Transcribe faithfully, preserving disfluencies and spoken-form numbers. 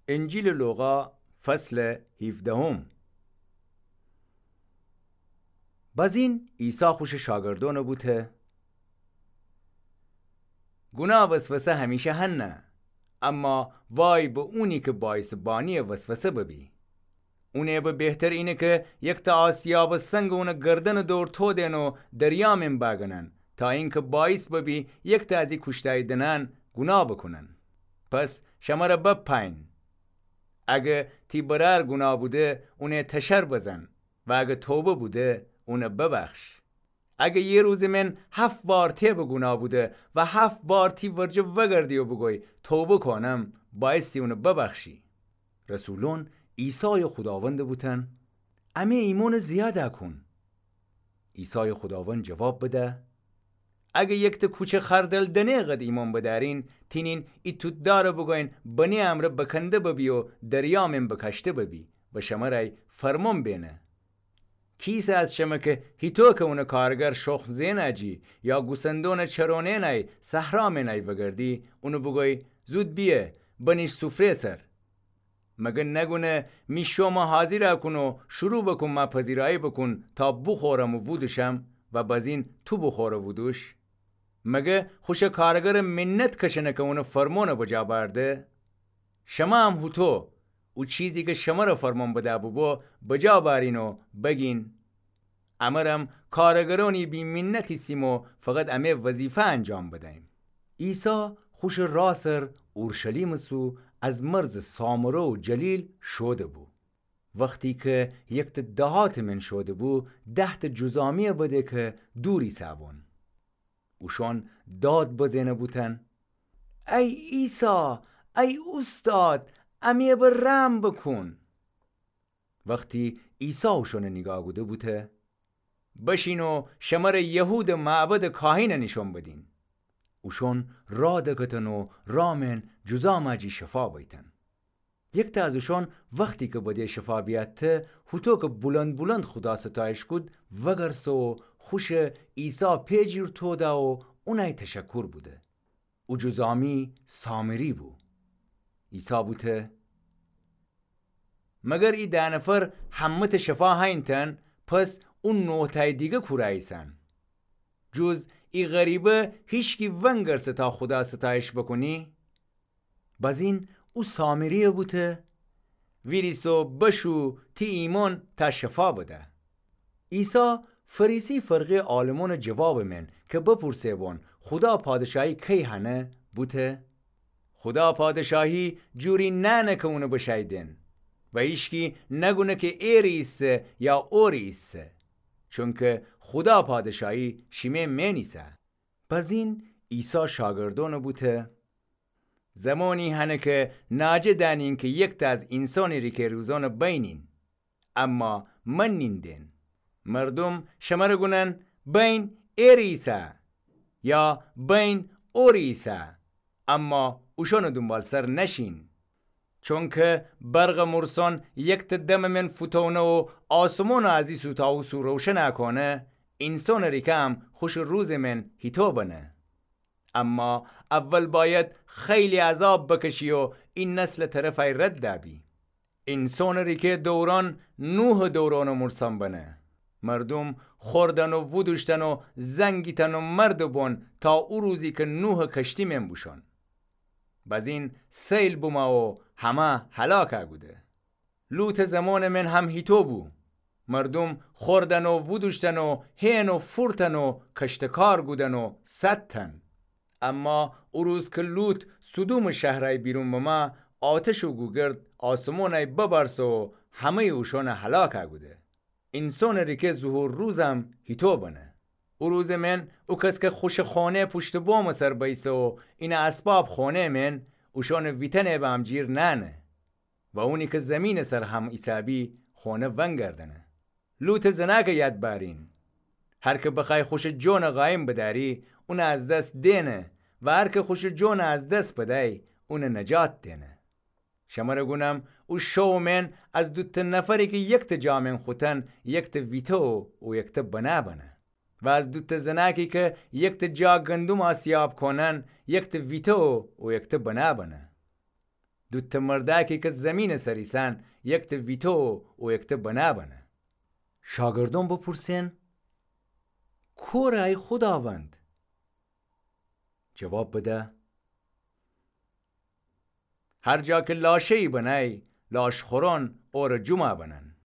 انجیلٚ لوقا، فصلٚ هیفدهم. بازین عیسی خوشٚ شاگردأنَ بوته: گوناه وسوسه همیشه هنه، اما وای به اونی که باعیسٚ بانی‌یٚ وسوسه ببی. اونٚ ایبٚ بهتر اینه که یکتأ آسیابٚ سنگَ اونٚ گردنٚ دور تودن و دریا مئن بأگنن، تا اینکه باعیس ببی یکتأ از ای کوشتایی‌دنأن گوناه بوکونن. پس شمره بپأیین، اگه تی برأر گوناه بوده، اونَ تشر بزن و اگه توبه بوده، اونَ ببخش. اگه یه روزٚ مئن هفت بار تأ به گوناه بوده و هفت بار تی ورجه وأگردی و بوگوی: توبه کونم، باعیستی اونَ ببخشی. رسولأن عیسایَ خوداوندَ بوتن: امه ایمأنَ زیادَ کون. عیسایٚ خوداوند جواب بده: اگه یکتأ کوچه خردل دنه قد ایمأن بدأرین، تینین ای توت‌دارَ بوگوین: بنه امرأ بکنده ببی و دریا مئن بکاشته ببی و شمرأی فرمأن بینه. کیسه از شمه که هیطو که اونٚ کارگر شخم زئنه جی یا گوسندونٚ چرونئنأی صحرا مئنأی وأگردی، اونَ بوگوی: زود بیه، بنیش سوفره سر؟ مگر نگونه می شومَ حاضیرَ کون و شروع بکون مأ پذیرایی بکون تا بوخورم و وودوشم و بازین تو بوخور و وودوش؟ مگر خوشٚ کارگرٚ منت کشنه که اونٚ فرمأنَ بجا بأرده؟ شمه هم هوطو او چیزی که شمره فرمأن بده بوبو بجا بأرین و بگین: امرم کارگرأنی بی‌منت ایسیم و فقط امه وظیفه انجام بدهیم. عیسی خوشٚ راه سر اورشلیمٚ سو از مرزٚ سامره و جلیل شوده‌بو. وختی که یکتأ دهاتٚ مئن شوده‌بو، دهتأ جذامی‌یَ بده که دور ایسه‌بون. اوشأن داد بزئنه بوتن: ای عیسی، ای اوستاد، امه بر رحم بوکون. وختی عیسی اوشأنَ نیگاه کوده بوته: بشین و شمره یهودٚ معبدٚ کاهینَ نیشأن بدیم. اوشأن راه دکفتن و راه مئن جذامَ جی شفا بیتن. یکتأ از اوشأن وختی که بده شفا بیأتته، هوطو که بلند بلند خودا ستایش کود، وأگرسه و خوشَ عیسی پئ جیر توده و اونأی تشکر بوده. او جذامی سامری بو. عیسی بوته: مگر ای ده نفر همه‌تأ شفا هینتن؟ پس او نوتأی دیگه کورأ ایسن؟ جز ای غریبه هیچکی ونگرسه تا خودا ستایش بوکونی؟ بزین او سامری‌یه بوته: ویریس و بشو، تی ایمأن تأ شفا بده. عیسی فریسی فرقه‌یٚ عالمأنٚ جوابٚ مئن که بپورسه بون خودا پادشاهی کی هنه، بوته: خودا پادشاهی جوری نأنه که اونٚ بشأی دئن و هیچکی نگونه که ایری ایسه یا اوری ایسه، چونکه خودا پادشاهی شیمه مئن ایسه. بزین عیسی شاگردأنٚ بوته: زمانی هنه که ناجه دأنین که یکتأ از اینسانٚ ریکه روزأنٚ بینین، اما منین دئن. مردوم شمره گونن: بین ایری ایسه، یا بین اوری ایسه، اما اوشأنٚ دونبالسر نشین. چونکه برقٚ مورسأن یکتأ دمٚ مئن فوتأونه و آسمانٚ از ای سو تا او سو روشنأ کونه، اینسانٚ ریکه هم خوشٚ روزٚ مئن هیطو بنه. اما اول بأید خیلی عذاب بکشی و ای نسلٚ طرفأی رد دأبی. اینسانٚ ریکه دورأن نوحٚ دورأنٚ مورسأن بنه. مردوم خوردن و وودوشتن و زنگیتن و مردٚ بون تا او روزی که نوحٚ کشتی مئن بوشون. بزین سیل بومه و همه هلاکأ کوده. لوطٚ زمانٚ مئن هم هیطو بو. مردوم خوردن و وودوشتن و هئن و فورتن و کشتکار کودن و سأدتن. اما او روز که لوط سدومٚ شهرأی بیرون بمه، آتشٚ گوگرد آسمانأی ببرسه و همه‌یٚ اوشأنَ هلاکأ کوده. اینسانٚ ریکه ظهور روزم هیطو بنه. او روزٚ مئن او کس که خوشٚ خانه پوشتٚ بامٚ سر بئیسه و اینٚ اسباب خانه مئن، اوشأنٚ ویتنه به امجیر نأنه و اونی که زیمینٚ سر هم ایسه‌بی خانه ونگردنه. لوطٚ زنأکٚ یاد بأرین. هر که بخوأی خوشٚ جانٚ قایم بدأری، اونَ از دس دئنه و هر که خوشٚ جانَ از دس بدأی، اونَ نجات دئنه. شمره گونم، او شوٚ مئن از دوتأ نفری که یکتأ جا مئن خوتن، یکتأ ویته و او یکتأ بنا بنه. و از دوتأ زنأکی که یکتأ جا گندم آسیاب کونن، یکتأ ویته و او یکتأ بنا بنه. دوتأ مردأکی کی زیمینٚ سر ایسأن، یکتأ ویتو و یکتأ بنا بنه. شاگردون بپورسئن: کوره ای خوداوند؟ جواب بده: هر جا کی لاشه‌یی بنأی، لاشخورون اورٚ جومعه بنن.